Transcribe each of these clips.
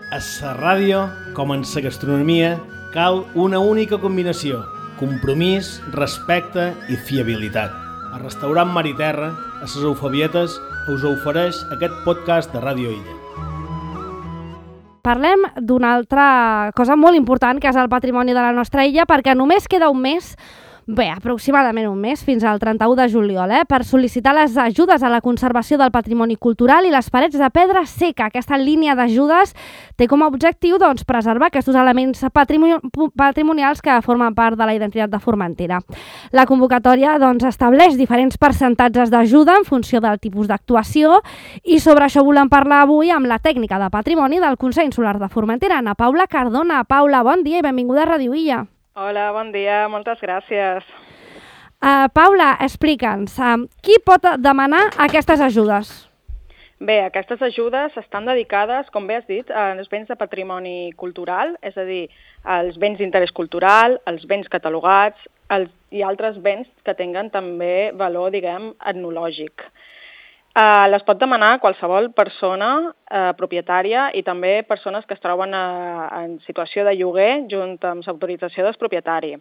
A la ràdio, com en la gastronomia, cal una única combinació: compromís, respecte i fiabilitat. El restaurant Mar i Terra, a les Eufebietes, us ofereix aquest podcast de Ràdio Illa. Parlem d'una altra cosa molt important, que és el patrimoni de la nostra illa, perquè només queda un mes, aproximadament un mes, fins al 31 de juliol, per sol·licitar les ajudes a la conservació del patrimoni cultural i les parets de pedra seca. Aquesta línia d'ajudes té com a objectiu preservar aquests elements patrimonials que formen part de la identitat de Formentera. La convocatòria estableix diferents percentatges d'ajuda en funció del tipus d'actuació i sobre això volem parlar avui amb la tècnica de patrimoni del Consell Insular de Formentera, Ana Paula Cardona. Paula, bon dia i benvinguda a Ràdio Illa. Hola, bon dia, moltes gràcies. Paula, explica'ns, qui pot demanar aquestes ajudes? Bé, aquestes ajudes estan dedicades, com bé has dit, als béns de patrimoni cultural, és a dir, als béns d'interès cultural, als béns catalogats i altres béns que tinguen també valor, etnològic. Les pot demanar qualsevol persona propietària i també persones que es troben en situació de lloguer junt amb l'autorització del propietari.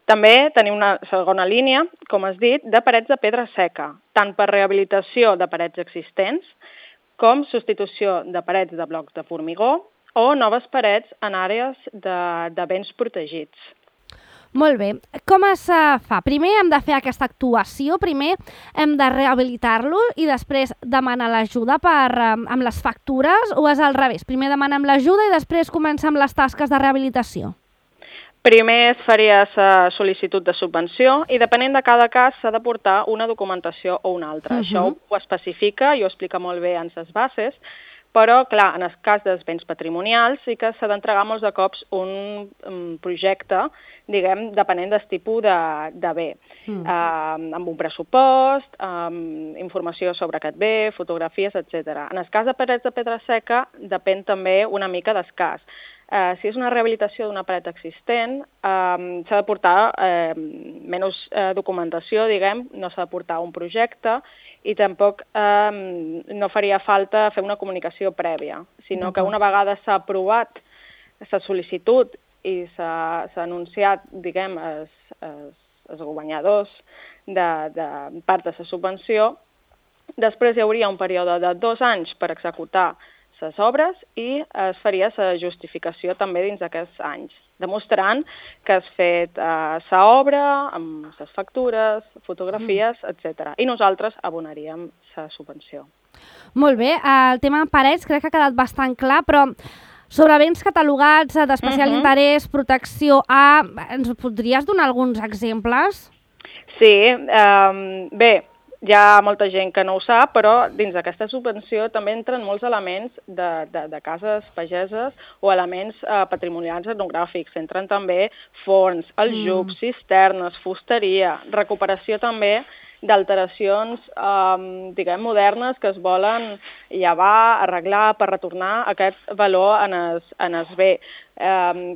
També tenim una segona línia, com has dit, de parets de pedra seca, tant per rehabilitació de parets existents com substitució de parets de blocs de formigó o noves parets en àrees de béns protegits. Molt bé. Com es fa? Primer hem de fer aquesta actuació, primer hem de rehabilitar-lo i després demanar l'ajuda amb les factures, o és al revés? Primer demanem l'ajuda i després comencem les tasques de rehabilitació? Primer es faria la sol·licitud de subvenció i depenent de cada cas s'ha de portar una documentació o una altra. Això ho especifica i ho explica molt bé en les bases, però, clar, en el cas dels béns patrimonials sí que s'ha d'entregar molts de cops un projecte, depenent del tipus de bé, amb un pressupost, amb informació sobre aquest bé, fotografies, etc. En el cas de parets de pedra seca depèn també una mica del cas. Si és una rehabilitació d'una paret existent, s'ha de portar menys documentació, no s'ha de portar un projecte i tampoc no faria falta fer una comunicació prèvia, sinó que una vegada s'ha aprovat la sol·licitud i s'ha anunciat, els guanyadors de part de la subvenció, després hi hauria un període de 2 anys per executar les obres i es faria la justificació també dins d'aquests anys, demostrant que has fet l'obra amb les factures, fotografies, etc. I nosaltres abonaríem la subvenció. Molt bé, el tema de parets crec que ha quedat bastant clar, però sobre béns catalogats d'especial interès, protecció A, ens podries donar alguns exemples? Sí, bé, hi ha molta gent que no ho sap, però dins d'aquesta subvenció també entren molts elements de cases pageses o elements patrimonials etnogràfics. Entren també forns, aljubs, cisternes, fusteria, recuperació també d'alteracions, modernes que es volen llevar, arreglar per retornar aquest valor en el bé,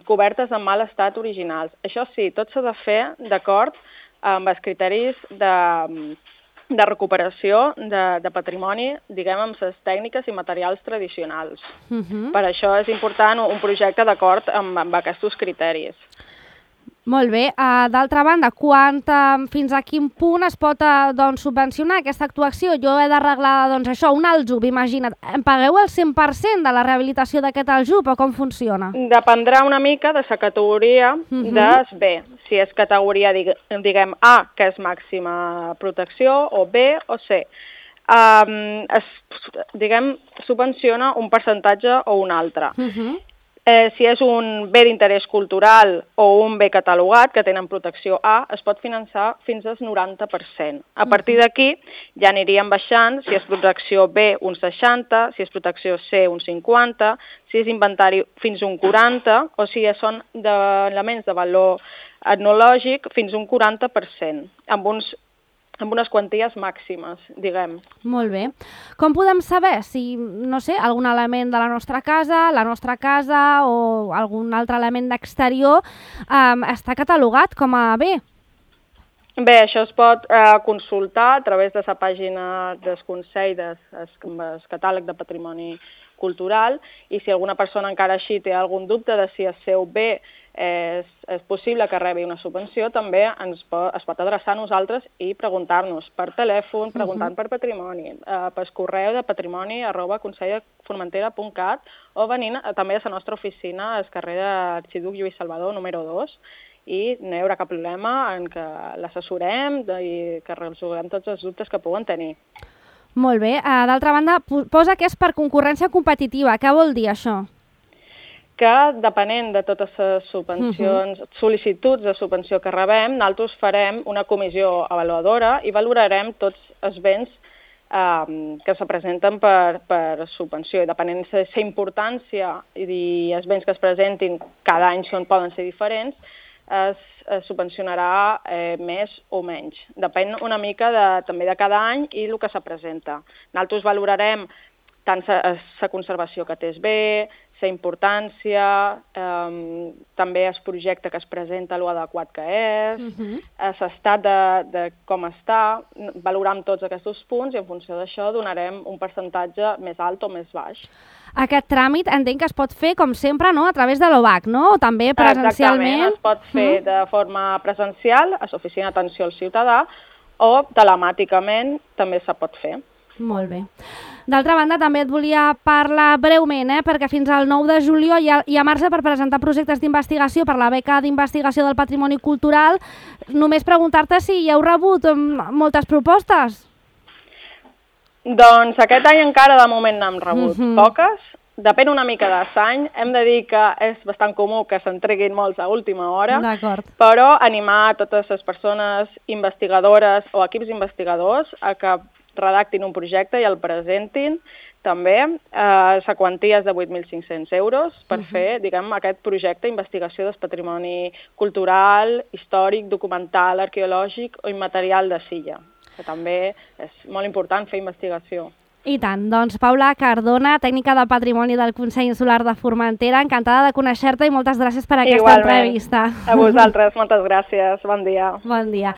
cobertes en mal estat originals. Això sí, tot s'ha de fer d'acord amb els criteris de recuperació de patrimoni, amb les tècniques i materials tradicionals. Per això és important un projecte d'acord amb aquests criteris. Molt bé. D'altra banda, fins a quin punt es pot subvencionar aquesta actuació? Jo he d'arreglar un aljub, imagina't. Em pagueu el 100% de la rehabilitació d'aquest aljub o com funciona? Dependrà una mica de la categoria del bé. Si és categoria, A, que és màxima protecció, o B o C. Subvenciona un percentatge o un altre. Si és un bé d'interès cultural o un bé catalogat que tenen protecció A, es pot finançar fins al 90%. A partir d'aquí ja aniríem baixant, si és protecció B un 60%, si és protecció C un 50%, si és inventari fins un 40% o si són elements de valor etnològic fins un 40%, amb unes quanties màximes, Molt bé. Com podem saber si, algun element de la nostra casa o algun altre element d'exterior està catalogat com a bé? Bé, això es pot consultar a través de la pàgina del Consell del Catàleg de Patrimoni cultural, i si alguna persona encara així té algun dubte de si el seu bé és possible que rebi una subvenció, també es pot adreçar a nosaltres i preguntar-nos per telèfon, preguntant per patrimoni, per correu de patrimoni@conselldformentera.cat o venint també a la nostra oficina al carrer d'Arxiduc Lluís Salvador, número 2, i no hi haurà cap problema en que l'assessorem i que resolguem tots els dubtes que puguen tenir. Molt bé. D'altra banda, posa que és per concurrència competitiva. Què vol dir això? Que depenent de totes les subvencions, sol·licituds de subvenció que rebem, nosaltres farem una comissió avaluadora i valorarem tots els béns que se presenten per subvenció. I depenent de la importància i els béns que es presentin cada any poden ser diferents, es subvencionarà més o menys. Depèn una mica també de cada any i el que se presenta. Nosaltres valorarem tant la conservació que té el bé, la importància, també el projecte que es presenta, l'adequat que és, l'estat de com està, valorem tots aquests punts i en funció d'això donarem un percentatge més alt o més baix. Aquest tràmit entenc que es pot fer, com sempre, no? A través de l'OVAC, no? O també presencialment? Exactament, es pot fer de forma presencial a l'Oficina d'Atenció al Ciutadà o telemàticament també se pot fer. Molt bé. D'altra banda, també et volia parlar breument, perquè fins al 9 de juliol hi ha marge per presentar projectes d'investigació per la beca d'investigació del patrimoni cultural. Només preguntar-te si hi heu rebut moltes propostes. Doncs aquest any encara de moment n'hem rebut poques. Depèn una mica de l'any. Hem de dir que és bastant comú que s'entreguin molts a última hora, però animar totes les persones investigadores o equips investigadors a que redactin un projecte i el presentin també. La quantia és de 8.500 euros per fer, diguem, aquest projecte d'investigació del patrimoni cultural, històric, documental, arqueològic o immaterial de Silla, que també és molt important fer investigació. I tant. Doncs Paula Cardona, tècnica de patrimoni del Consell Insular de Formentera, encantada de conèixer-te i moltes gràcies per aquesta entrevista. A vosaltres, moltes gràcies. Bon dia. Bon dia.